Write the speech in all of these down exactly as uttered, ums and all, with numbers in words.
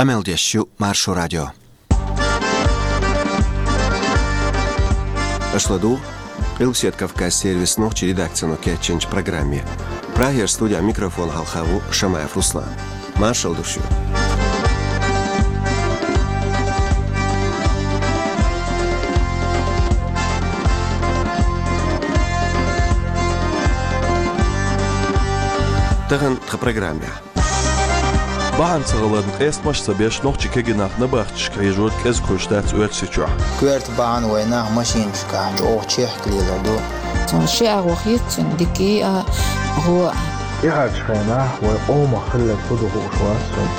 Къамел деш ю Маршо радио. Аша ладугӀу Къилбаседа Кавказ сервисан нохчийн редакцино кечйинчу программе. Прагера студехь микрофон хьалха ву Шамаев Руслан. Маршалла ду шуьга. Тахана тхан программехь. Бахьана ца хиларна, къестамаш а ца беш, нохчийн кегий нах набахташка хьежор кӀезиг хуьлуш дац Оьрсийчохь. Коьрта бахьана вайн нах машинашкахь чӀогӀа чехка лелар ду. Цунна ши агӀо хета, цуьнан дика а, гӀо а. ТӀаьхьарчу хенахь вайн къомах хилларг хӀун ду хууш вац суна.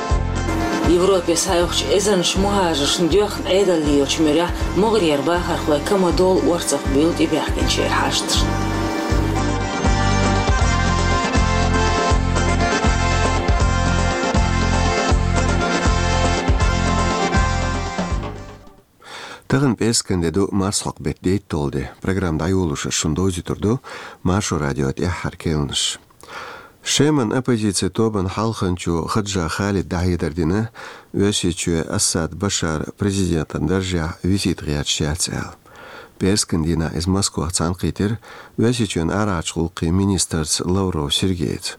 Европе схьайоккхучу эзарнаш мухӀажаршна доьхна Ӏедал лелачу муьрехь могӀарера бахархой ка ма долу орцах буьйлу тӀебаьхкинчеран хьашташна. Тахана пӀераскан де ду, марсхьокху беттан дейтталгӀа де. Программа дӀайолош ас шуна довзуьйтур ду Маршо радион тӀаьххьара керланаш. Шеман оппозицин тобанан хьалханчо Хаджа Халида дӀахьедар дина, Оьрсийчоь Асад Башар президентан даржехь висийта гӀерташ яц аьлла. ПӀераскан дийнахь иза Москвахь цхьаьнакхийтира Оьрсийчоьнан арахьарчу гӀуллакхийн министрца Лавров Сергейца.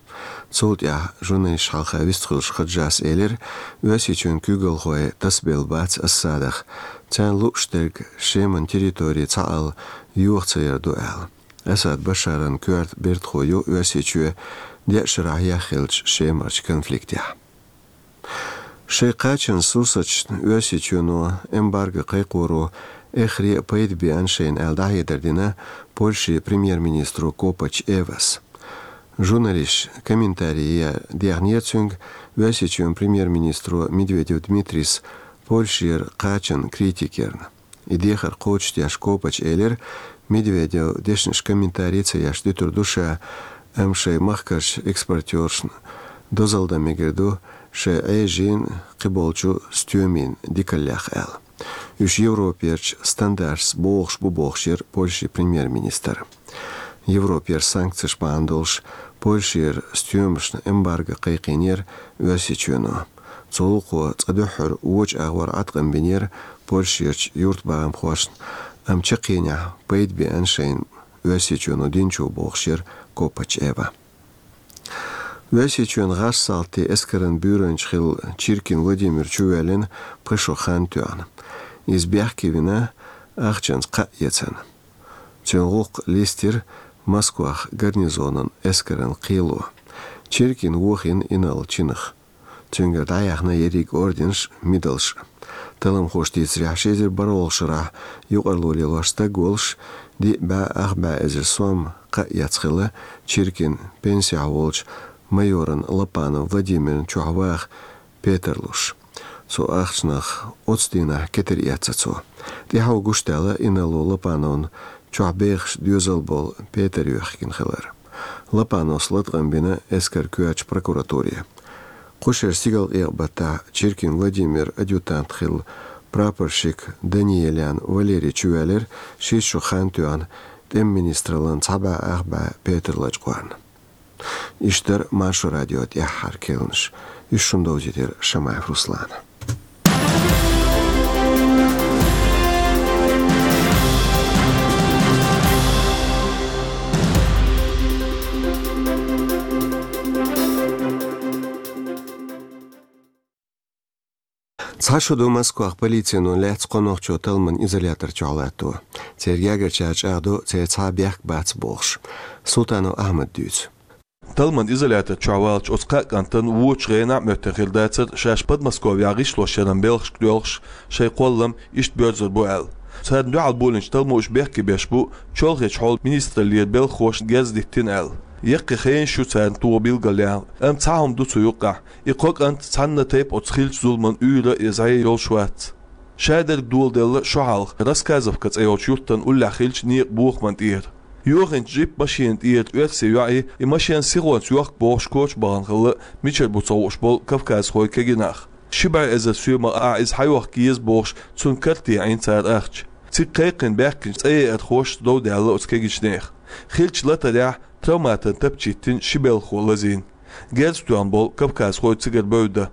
Цул тӀаьхьа журналисташна хьалха вистхуьлуш Хаджас элира, Оьрсийчоьнан куьйгалхой тасабелла бац Асадах, царна лууш дерг Шеман территори цхьаалла йоха ца яр ду аьлла. Асад Башаран коьрта бертахо ю Оьрсийчоь деа шарахь яххиллачу Шемарчу конфликтехь. Шайн кхачанан сурсаташна Оьрсийчоьно эмбарго кхайкхоро эххар а пайда беана шайна аьлла дӀахьедар дина Польшин премьер-министро Копач Эвас. Журналисташа комментари ян дехнера цуьнга Оьрсийчоьнан премьер-министро Медведев Дмитрийс Польшера кхачанна критика ярна. И дехар кхочушдеш Копач элира, Медведев дешнаш комментари ца еш дуьтур ду ша, амма шайн махкарчу экспортёршна дозалла дан мегар ду шайн Ӏежин, кхиболчу стоьмийн дикаллех аьлла. Уьш Европерчу стандарташца богӀуш бу бохуш яра Польшин премьер-министр. Европера санкцеш бахьана долуш Польшера стоьмашна эмбарго кхайкхийнера Оьрсийчоьно. Цу гӀуллакхо цкъа дуьххьара вочу агӀор Ӏаткъам бинера Польшерчу юьртбахамхошна, амма чаккхенехь пайда беана шайна Оьрсийчоьно динчо бохуш яра Копач Эва. Оьрсийчоьнан гӀазкхийн салтийн эскаран буьйранча хилла Чиркин Владимир чувоьллина пхи шо хан тоьхна. Иза бехке вина, ахчанца кхаъ эцна. Цуьнан гӀуллакх листира Москвахь гарнизонан эскаран кхело. Чиркин вохийна инарла чинах. Цуьнгара дӀаяьхна ерриг орденаш а, медалш а. Талламхоша дийцарехь, ши эзар бархӀалгӀачу шарахь юкъарло лелош стаг волуш, диъ бӀе ах бӀе эзар сом кхаъ эцна хилла Чиркин пенсехь волчу майоран Лопанов Владимиран чохь ваха петар луш. Цу ахчанах оццу дийнахь кетар эцна цо. ТӀаьхьо гуш даьлла инарло Лопановна чохь бехаш доьзал болу петар юьхкина хилар. Лопановс латкъам бина эскаран коьртачу прокуратуре. Кху шеран стигалкъекъа баттахь Чиркин Владимиран адъютант хилла прапорщик Даниелян Валерий чувоьллира шийтта шо хан тоьхна тӀеман министраллан цхьа бӀе ах бӀе петар лачкъорна. Иштта дара Маршо радион тӀаьххьара керланаш. Уьш шуна довзийтира Шамаев Руслана. Цхьа шо ду Москвахь полицино лаьцна кхо нохчо талламан изолятор чохь латто. Церан гергарчара чӀагӀдо, церан цхьа а бехк бац бохуш. Султанов Ахьмада дуьйцу. Талламан изолятор чохь валлачу оцу кхаа кӀантана вочу гӀенахь а моьттина хир дацара шаьш Подмосковьехь гӀишлош яран белхашка доьлхуш шайн кхоллам иштта боьрзур бу аьлла. Царна дуьхьал болийначу талламо уьш бехке беш бу, чолхечу хьолан министраллера белхахошна герз диттина аьлла. Яккхий хенаш ю царна тоха билгалъяьхна, амма цхьа хӀума ду цу юккъехь. И кхо кӀант цхьанна тайпа оцу хиллачу зуламан уьйр а, я зӀе а йолуш вац. Шадерг доладелла шо хьалха Рассказовка цӀе йолчу юьртан уллехь хиллачу некъан бохаман тӀера. Йохийначу джип-машенан тӀера оьрсийн йоӀе и машен сихонца йохку бохуш коча бахана хилла мичара бу ца хууш болу кавказхойн кегий нах. Ши бӀе эзар соьмах ахь иза схьайохка еза бохуш, цунна карте Ӏийна цара ахча. Цига кхайкхина баьхкинчу цӀеяьрхошца дов даьлла оцу кегийчу нехан. Хиллачу латарехь травматан тапча йиттина ши белхахо лазийна. Герз тоьхна болу кавказхой цигара бевдда.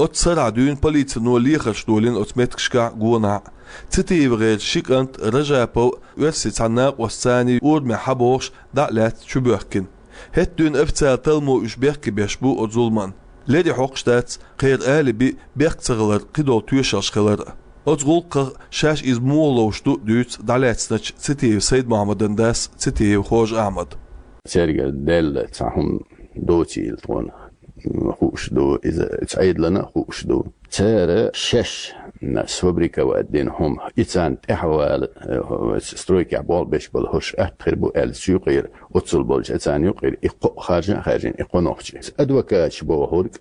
Оццу сарахь дуьйна полицино лехарш долийна оцу меттигашкахь гонахь. ЦитиевгӀеран ши кӀант Ражапов, оьрсийн цхьана накъостаца цхьаьна урамехь схьабогӀуш, дӀа а лаьцна чубоьхкина. ХӀетахь дуьйна официалан талламо уьш бехке беш бу оцу зуламан. Леррина хьокхуш дац кхеран алиби бехк ца хилар, кхидолу тоьшаллаш хилар. Оцу гӀуллакхах шаьш иза муха ловш ду дуьйцу дӀалаьцначу Цитиев Сайд-Мохьмадан дас Цитиев Хож-Ахьмада. Цаьрга делла цхьа хӀума доцийла тхуна хууш ду, иза, иза Ӏедална а хууш ду. Цара шаьш сфабриковать дина хӀума, и царна тӀаьхьавала, э, стройкехь болх беш болу хӀорш атта хир бу аьлла, цу юкъера, оццул болчу царна юкъера и кхо харжа а хаьржина, и кхо нохчи. Адвокаташ бохург,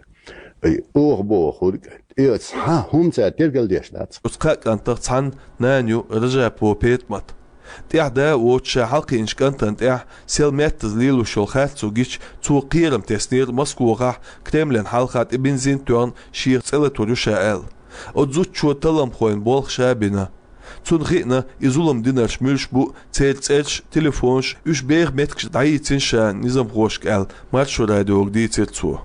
и оха бохург, и цхьа хӀума цара тергал деш дац. Оцу кхаа кӀантах цхьанна нана ю Ражапова Петамат. ТӀехь да а воцуш, ша хьалакхиъначу кӀантана тӀехь сел меттаза лелош йолу харцо гича, цо кхерам теснера Москвахь Кремлан хьалха тӀе бензин тоьхна, шех цӀе латор ю ша аьлла. Оцу зудчо талламхойн болх ша бина. Цунна хиъна, и зулам динарш муьлш бу, церан цӀерш, телефонаш, уьш беха меттигаш дӀайийцина ша низамхошка аьлла, Маршо радиога дийцира цо.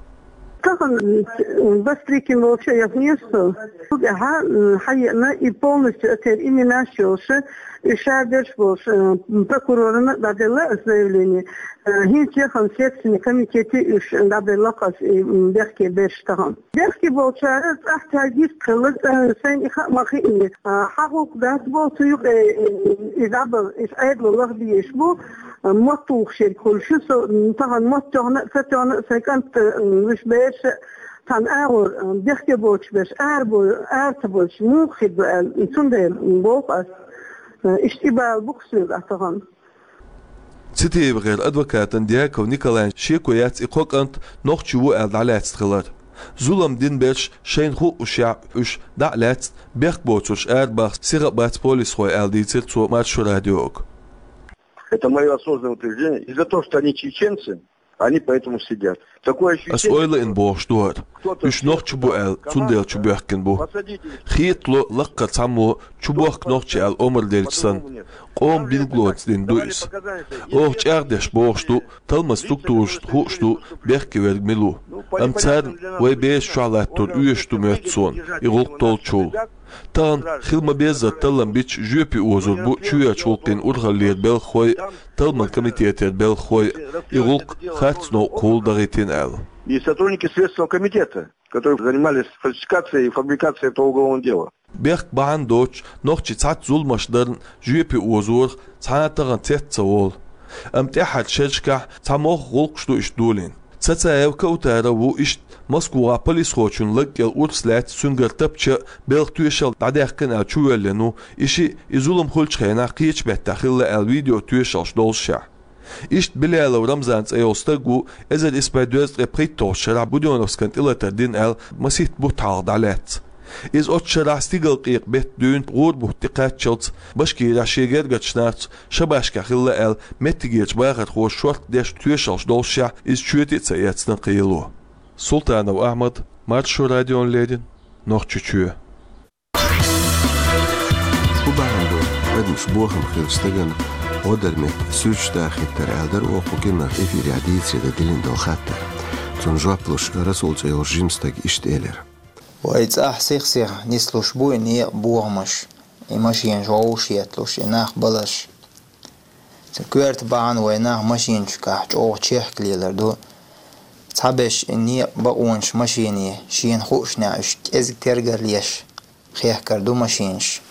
Тахана, м, Бастрыкин волчу яхнера со. Цу тӀаьхьа, м, хьаеана и полностью оцеран именаш йолуш, и ша берш болуш, м, прокурорна дӀаделла аса заявление. Э, хӀинца яхана Следственный комитете уьш дӀабелла аса и, м, бехке берш тахана. Бехке болчара цӀахь цаьрга гӀиртхилла, э, сайна и хаа ма хиъна. Э, хьан гӀуллакх дац боху цу юкъе, э, и дӀабала, иза Ӏедало лаха дезаш бу, э, мотт тухуш ерг хуьлуш, со, м, тахана мотт тоьхна а, ца тоьхна а, сайн кӀант, э, м, уьш берш а, цхьана агӀор, э, бехке боцуш берш, ара бо-, ара ца боцуш, муха хир ду аьлла, цундела боху аса, э, иштта и бала бу-кх соьга тахана. ЦитиевгӀеран адвокатан Дьяков Николайн шеко яц и кхо кӀант нохчи ву аьлла дӀалаьцна хилар. Зулам дина берш шайна хуъушехь, уьш дӀа а лаьцна, бехк боцурш арабаха сиха а бац полисхой аьлла дийцира цо Маршо радиога. Это моё осознанное утверждение. И за то, что они чеченцы, они поэтому сидят. Такое ощущение, ас ойла ин бохуш ду хӀара. Уьш нохчи бу аьлла, цундела чубоьхкина бу. Хетало лаккхара цхьаммо чубохку нохчи аьлла омра делча санна. Къоман билгалонца дина ду иза. Оха чӀагӀдеш бохуш ду, талламан структурашна хууш ду, бехке верг мила ву. Амма царна вай бераш чохь латтор оьшуш ду моьтту суна, и гӀуллакх толлучул. Тахана хила ма-беззара таллам бича жоьпе озор бу чоьхьарчу гӀуллакхийн урхаллера белхахой а, талламан комитетера белхахой а, и гӀуллакх харц новкъахула дахийтина аьлла. И сотрудники Следственного комитета, которые занимались фальсификацией и фабрикацией этого уголовного дела. Бехк бахьана доцуш, нохчий цхьацца зуламаш дарна жоьпе озорах цхьа а тахана цец ца волу. Амма тӀаьххьарчу шерашкахь цхьа могӀа гӀуллакхаш ду иштта долийна. Цацаев Каутара ву иштта Москвахь полисхочун лаг кӀел урс лаьцна цуьнгара тапча а, белхан тоьшалла дӀадаьккхина аьлла чувоьллина ву, и шиъ, и зулам хуьлучу хенахь кхечу меттехь хилла аьлла видео тоьшаллаш доллушехь. Иштта Билялов Рамзан цӀе йолу стаг ву, эзар исс бӀе дезткъе пхийтталгӀачу шарахь Будённовскан тӀелатар дина аьлла, масийтта бутт хьалха дӀалаьцна. Иза оцу шарахь стигалкъекъа беттан дуьйна гӀуран бутт тӀекхаччалц Башкирехь шен гергарчу нахаца шабашкахь хилла аьлла, меттигерчу бахархоша шорта деш тоьшаллаш доллушехь, иза чоьте а ца эцна кхело. Султанов Ахьмад, Маршо радиона леррина, Нохчийчоь. ХӀун бахьана ду адамаш бохам хилча стагана гӀо дар метта суьрташ дахийтар аьлла дара оха кху киннах эфирехь дийцаре дан диллина долу хаттар. Цунна жоп луш Расул цӀе йолчу жима стага иштта элира. Вай цӀахь сих-сиха нислуш бу и некъа бохамаш, и машинаш вовшахъетталуш, и нах баларш. Цу коьрта бахьана вай нах машинашкахь чӀогӀа чехка лелар ду. Цхьаберш и некъа бакъонаш машине шена хуушехь уьш кӀезиг тергал еш хехкар ду машинаш.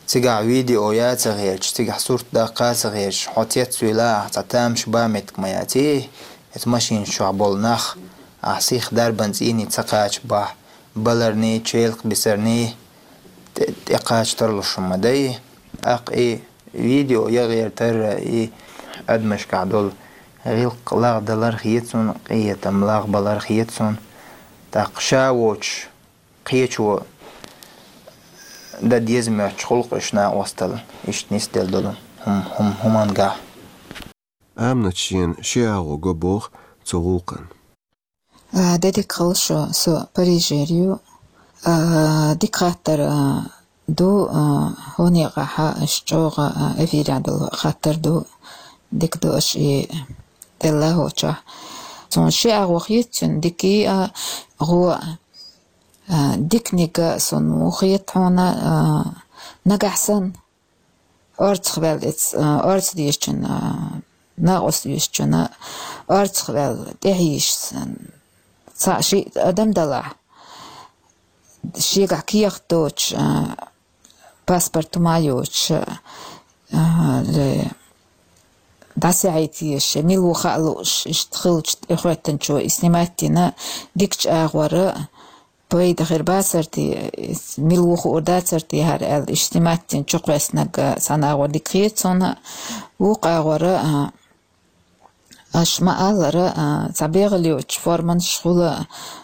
Цигахь видео яц а хеташ, цигахь сурт даккха а ца хеташ, хьо цецвелла ахь цхьа тамаш бан меттиг ма яц. Эцу машинаш чохь болу нах ахь сих дарбан цӀийне ца кхача бахь, баларний, челакх бисарний тӀе-, тӀекхача тарлуш хӀума дай. ТӀаккха и видео ян гӀертар и адамашкахь долу гӀиллакх лагӀдалар хета суна, къинхетам лагӀбалар хета суна. ТӀаккха ша воцуш кхечо дан деза моьттуш гӀуллакхаш накъосталла иштта нисделла долу хӀум-, хӀум-, хӀуманга. Аминат шена ши агӀо го боху цу гӀуллакхна. А, де дика хуьлда шун, со Парижера ю. А, дика хаттар, а, ду, а, хӀун некъахь аша чӀогӀа, а, эфирехь долу хаттар ду. Дика ду аша и делла хӀокху чохь. Суна ши агӀо хета цуьнан, дика а, гӀо а. А, диканиг сона муха хета хьона, а, нагахь санна орцах ваьлла, эц-, а, орца дезачун, а, накъост дезачун, орцах ваьлла, тӀехьа йиш санна, цхьа ши адам далахь, шегахь кехат доцуш, а, паспорт хӀума а йоцуш, а, ле, дӀасахьийта езаш, мила ву хаа лууш, иштта хиллачу тӀехӀоьттинчо и снимать дина, дикачу агӀора пайда хир бацар те, мила ву хуур дацар те хӀара аьлла, иштта снимать дина чукхоьссинарг цхьана агӀор дика хета суна, вукху агӀора, а, аша ма-аллара, а, цхьа бегӀалла йоцуш форманаш хуьлу,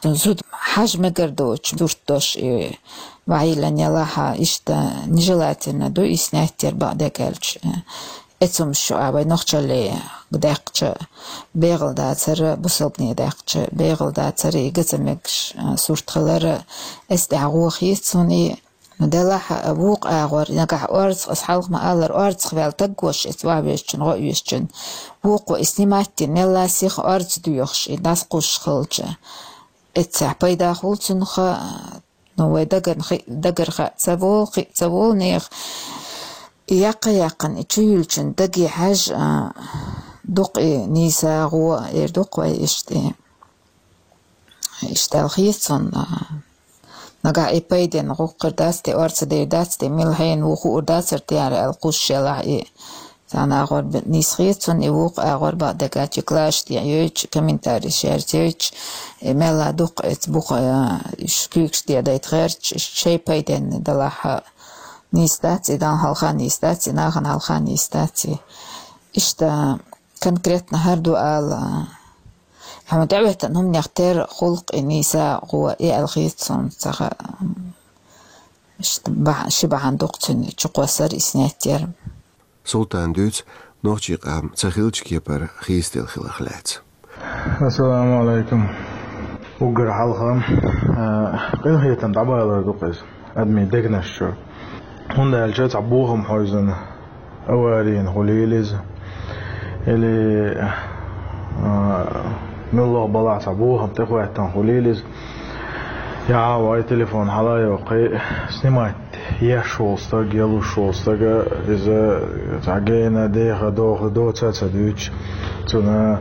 зуда хьажа мегар доцуш сурт долуш и вайилан ялахь, иштта нежелательно ду и снять яр бакъдерг аьлча. Эцумаш ю а вай нохчалле даьккхича бегӀалла дацара, бусалбане даьккхича бегӀалла дацара, и га ца мегаш, а, сурт хилара, эс тӀехь гӀо хета суна и. Ну, делахь, а, вукху агӀор, нагахь орцах, ас хьалха ма-аллара, орцах ваьлла таггош эца ваха везачун, гӀо а везачун. Вукхо и снимать дина, мелла сиха орца доьхуш, и дӀасакхуссуш хилча. Эццехь пайда хуьлу цунах, а, ну, вай даган хи-, дагара хаа ца волу, кхиа ца волу нехан. И яккха-яьккхина, и чу юьллучун даге хьаьжжа, а, дукха и нийса гӀо, эр дукха вай иштта. Иштта аьлла хета суна, нагахь и пайденна гӀуллакх хир дац те, орца дер дац те, мила хьенан ву хуур дацара те хӀара аьлла кхуссуш ялахь и. Цхьана агӀор б-, нийса хета суна, и вукху агӀор бакъдерг аьлча, класс тӀе йойтуш, комментарий шерца йойтуш, и мелла дукха эца буха, а, уьш куьйгаш тӀе дайта гӀерташ, шайн пайденна далахь, а, нийса дац, и Далла хьалха нийса дац, и нахана хьалха нийса дац, и. Иштта конкретно хӀара ду ала, хьуна тӀеӀоьттина хӀуманех тера гӀуллакх и нийса гӀо, и аьлла хета суна, ца хаьа. Иштта бахьа-, ши бахьана дукха цуьнан чукхоссар и снять яр. Султана дуьйцу нохчийн къам ца хиллачу кепара хийцаделла хиларх лаьцна. Ассаламу алейкум. Уггар хьалха, а, къинхетам дӀабалар ду-кх иза адамийн дегнаш чуьра. ХӀунда аьлча цхьа бохам хьовзина, аварийна хуьлийла иза, или, а, муьлхха балахь цхьа бохам тӀехӀоьттина хуьлийла иза. Я вай телефон хьала а йоккхий, снимать еш волу стаг, ялуш волу стага, иза цхьа гена, деха, доха доца а ца дуьйцуш, цуьнан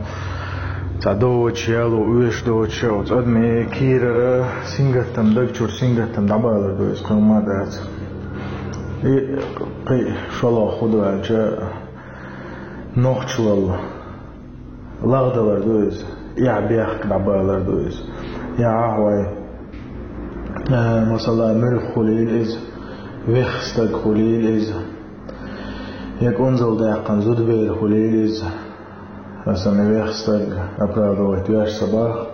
цхьа доцуш, яло оьшуш доцуш, оцу адамийн кийрара сингаттам, даг чуьра сингаттам дӀабалар ду иза, кхин хӀумма а дац. И кхин шолгӀа хӀун ду аьлча, нохчалла лагӀдалар ду иза, эхь-бехк дӀабалар ду иза. Я ахь вай, э, масала, муьлхха хуьлийла иза, вехха стаг хуьлийла иза, я кӀунзалдаьккхина зудабер хуьлийла иза, аса и вехха стаг оправдывать веш ца боху.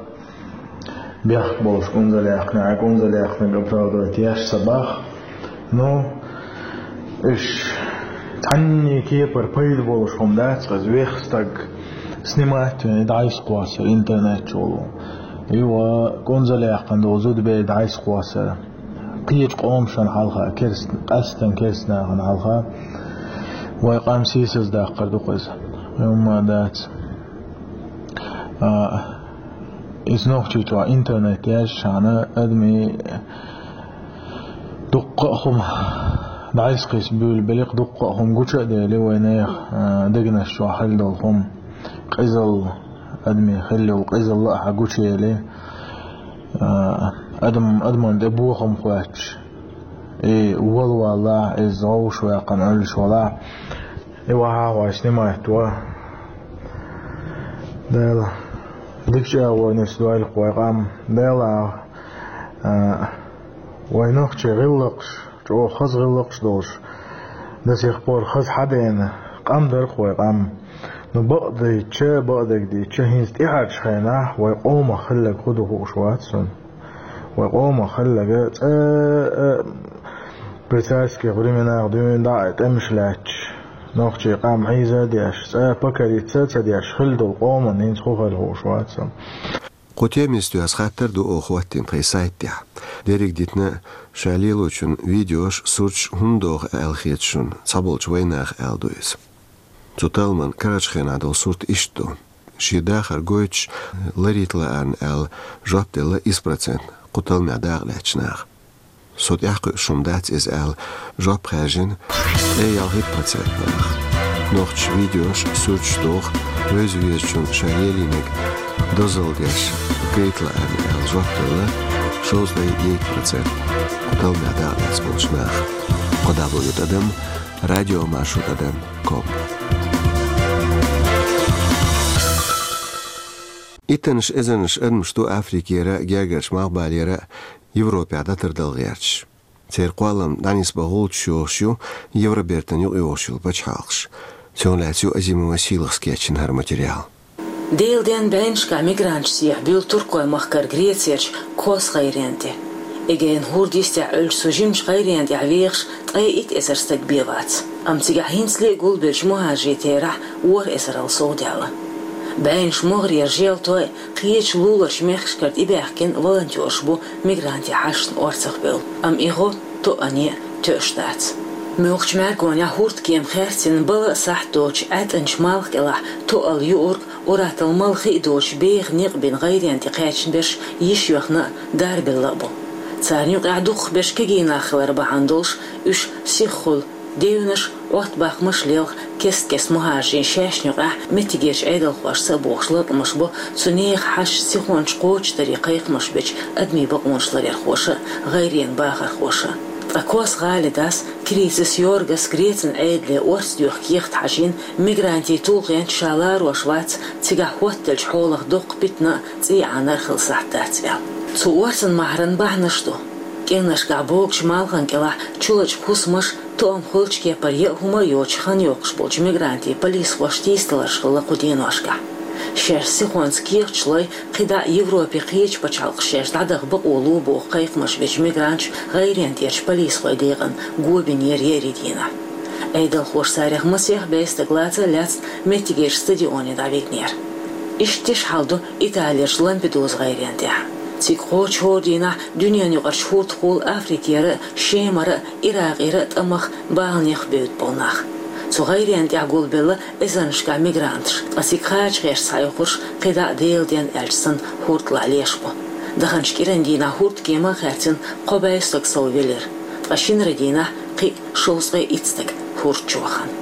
Бехк болуш кӀунзалъяьккхинарг, кӀунзалъяьккхинарг оправдывать еш ца боху. Ну, уьш цхьанний кепара пайда болуш хӀума дац, хаза вехха стаг снимать вина дӀасакхоссар интернет чу волу. И ва кӀунзалъяьккхина долу зудабер дӀасакхоссар. Кхечу къомашна хьалха, керст-, къаьсттина керстанашна хьалха, вай къам сийсаздаккхар ду-кх иза. Хьуна ма дац. А, иза нохчийчохь интернет яьлча шана адамийн дуккха а хӀума дӀасакхийса буьйлабелира, дуккха а хӀума гуча а дели, вайнехан, а, дегнаш чохь хилла долу хӀума. Къизалла, адамийн хилла йолу къизалла а хьан гучуели, а, адам, адаман тӀе бохам хоьттуш, и вала валлахь, иза вовшах ваьккхина Ӏуьллуш валахь, и вахьа вай снимать ван. Дела, дикачу агӀор нисдойла-кх вай къам. Дела, а, вай нохчийн гӀиллакхаш, чӀогӀа хаза гӀиллакхаш долуш, до сих пор хаза хьадена къам дара-кх вай къам. Ну, бакъдийча, бакъдерг дийча, хӀинца тӀаьхьарчу хенахь вай къомах хилларг хӀун ду хууш вац суна. Вай къомах хилларг цкъа а при царских временах дуьйна дӀа а тӀемаш лаьтташ, нохчийн къам хьийза а деш, цкъа а покориться а ца деш хилла долу къоман хӀинца хӀун хилла хууш вац суна. Кху темиста ас хаттар ду оха хӀоттийна тхайн сайт тӀехь. Дерриг дитина ша лелочун видеош, сурташ хӀунда доху аьлла хета шуна цхьаболчу вайнаха, аьлла ду иза. Цу талламан карарчу хенахь долу сурт иштта ду. Шен дахар гойтуш ларийта лаарна аьлла жоп делла исс процент. кху талламехь дакъа лаьцначу наха. Со тӀаьхьакхуьуш хӀума дац иза аьлла, жоп хаьржина ткъе ялхитта процент наха. Нохчаша видеош, суьрташ доху, вевза-везачунна ша елийнарг дозалла деш гайта лаьа аьлла жоп делла шовзткъе итт процент кху талламехь дакъа лаьцна болчу наха. Кхо дабл ю тӀадам радиомаршо тӀадам ком. Иттаннаш эзарнаш адамаш ду Африкера, Гергарчу Малхбалера, Европера дӀатардала гӀерташ. Церан кхоллам дӀанисбан гӀулчаш йохуш ю Евробертан юкъайогӀуш йолу пачхьалкхаш. Цунах лаьцна ю Азимова Сийлахьас кечйина хӀара материал. Делан денна бӀеннашкахь мигранташ сехьабуьйлу Туркойн махкара Грецерчу Кос гӀайренна тӀе. Эгейн хӀорда йистехь Ӏуьллучу цу жимачу гӀайренна тӀехь вехаш ткъе итт эзар стаг бен вац. Амма цигахь хӀинцале а гулбеллачу мухӀажарийн терахь ворхӀ эзарал совдаьлла. БӀеннаш могӀарера желтойн, кхечу луларчу мехкашкара тӀебаьхкина волонтераш бу мигрантийн хьашташна орцахбевлла, амма и гӀо тоъане а тоьуш дац. Муьлххачу мӀаьргонехь хӀурдкема хаьрцина бала а сахьт доцучу ӀаьтӀанчу малх кӀелахь тоъал юург, уьттазза малхе а доцуш беха некъ бина гӀайренна тӀе кхаьчна берш йиш йоьхна а, дарбелла а бу. Царна юкъахь дукхахберш кегий нах хилар бахьана долуш, уьш сиххула девнаш, Ӏоттабахамаш лелха, кест-кеста мухӀажарийн шаьшна юкъахь меттигерчу Ӏедалхошца а бохуш латкъамаш бо цу нехан хьашташна сихонца кхочушдаре кхайкхамаш бечу адамийн бакъонаш ларъярхоша а, гӀайренан бахархоша а. Ткъа Кос гӀалин дас Критис Йоргас Грецин Ӏедале орца доьху кехат хьажийна, мигрантийн тулгӀенца ша ларош вац, цигахь хӀоттаделлачу хьолах доккха питана а, цӀий Ӏанар а хила сахьт дац аьлла. Цу орцан махьаран бахьанаш ду: кӀирнашкахь богучу малхан кӀелахь чулачу хӀусамаш, тоам хуьлучу кепара яа хӀума а йоцуш хан йоккхуш болчу мигрантийн полисхошна тийсадаларш хилла кху деношкахь. Шаьш сихонца кехаташ лой, кхидӀа а Европин кхечу пачхьалкхаша шаьш дӀадаха бакъо ло боху кхайкхамаш бечу мигранташа гӀайренна тӀерачу полисхойн декъана го бинера еарин дийнахь. Ӏедалхоша царех масех бӀе стаг лаца а лаьцна меттигерчу стадионе дӀавигнера. Иштта тиша хьал ду Италерчу Лампедуза гӀайренна тӀехь. Цига кхочу хӀора дийнахь дуьненаюкъарчу хӀордахула Африкера а, Шемара а, Иракъера а тӀамах баланех бевдда болу нах. Цу гӀайренна тӀехь гулбелла эзарнашкахь мигранташ, ткъа цига кхача гӀерташ схьайоккхурш кхидӀа а Делан денна аьлча санна хӀордалахь леш бу. Даханчу кӀиран дийнахь хӀурдкема а хаьрцина кхо бӀе стаг соввелира, ткъа шинара дийнахь кхин а шовзткъе итт стаг хӀорда чу вахана.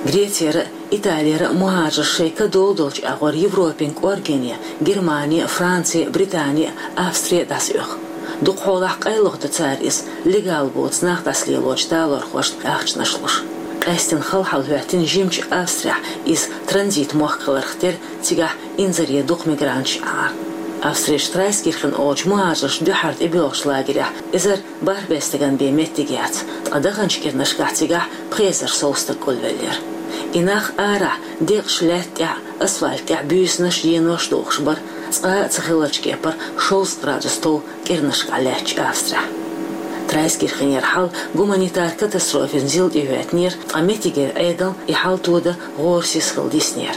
Грецера а, Италера а мухӀажарш шайн ка дола-долчу агӀор Европин кӀоргене, Германи, Франци, Британи, Австри дӀасаоьху. Дукха хьолахь къайлаха до цара иза, легал боцу нах дӀасалелочу талорхошна ахчанаш луш. Къаьсттина хала хьал хӀоьттина жимачу Австрехь, иза транзит-мохк хиларх терра, цигахь инзаре дукха мигранташ Ӏара. Австрерчу Трайскирхен олучу мухӀажарш дуьххьара тӀебоьлхучу лагерехь эзар бархӀ бӀе стагана бен меттиг яц, ткъа даханчу кӀирнашкахь цигахь пхи эзар сов стаг гулвеллера. И нах арахь, декъаш лаьтта тӀехь, асфальт тӀехь буьйсанаш, енош дохуш бара, цкъа а ца хиллачу кепара шовзткъа градус тов кӀирнашкахь лаьттачу Австрехь. Трайскирхенера хьал гуманитар катастрофин зил тӀехӀоьттинера, ткъа меттигера Ӏедал и хьал тодан гӀорасиз хила диснера.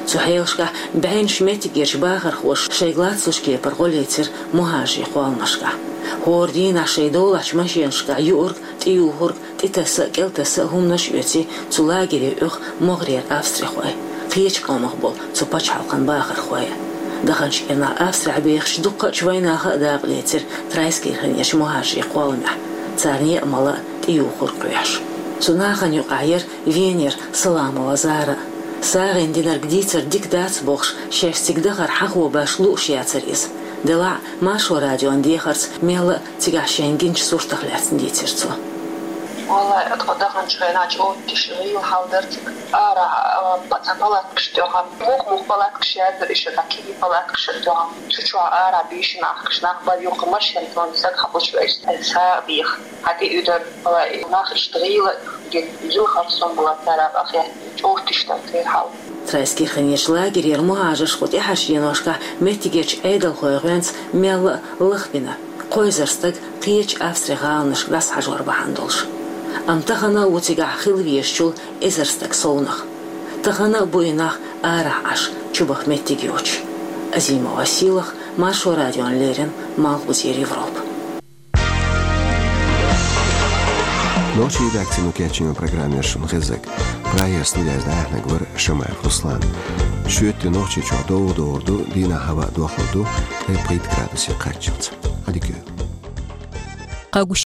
Цу хьелашкахь бӀеннаш меттигерчу бахархоша шайга лацлучу кепара гӀо лецира мухӀажарийн кхолламашкахь. ХӀора дийнахь шайн долахьчу машенашкахь юург, тӀеюхург, тӀетаса а, кӀелтаса а хӀуманаш а оьций цу лагере оьху могӀарера австрихой, кхечу къомах болу цу пачхьалкхан бахархой а. Даханчу кӀирнахь Австрехь бехачу дуккхачу вайнаха а дакъа лецира Трайскирхенерчу мухӀажарийн кхолламехь, царна еа мала а, тӀеюхург а кхоьхьуш. Цу нахана юкъахь яра Венера Саламова Зара а. СагӀина динарг дийцар дика дац бохуш, шаьш цига дахар хьахо баш лууш яцара иза. Делахь а, Маршо радион дехарца мелла а цигахь шайна гинчу суртах лаьцна дийцира цо. Валлай, тхо даханчу хенахь чӀогӀа тиша гӀийла хьал дара цига. Арахь, а, пацан палаткаш тӀехь, мух-мух палаткаш яздара иштта, кегий палаткаш тӀехь. Цу чохь арахь бийшина ахкаш нах бара, юха машен тӀехь стаг хьакхучу вайша, сагӀа беха. Хьан тӀе уьдара, валлай, нах иштта гӀийла, гӀийла харцон бала цара къахетта, чӀогӀа тиша дара церан хьал. Трайскирхенерчу лагерера мухӀажарш кху тӀаьхьарчу деношкахь меттигерчу Ӏедалхойн гӀоьнца мелла а лахбина, кхо эзар стаг кхечу Австрин гӀаланашка дӀасахьажор бахьана долуш. Амма тахана а ву цигахь хила везачул эзар стаг совнах. Тахана а бу и нах арахь Ӏаш, чубаха меттиг йоцуш. Азимова Сийлахь, Маршо радиона леррина, Малхбузера Европа. Нохчийн редакцино кечйина программа яра шуна хезнарг. Прагера студехь дӀаяьхьнарг вара Шамаев Руслан. Шоьтан Нохчийчохь довгӀа догӀур ду, дийнахь хӀаваъ дохлур ду, ткъе пхийтта градусе кхаччалц. Ӏадика йойла. къэгущ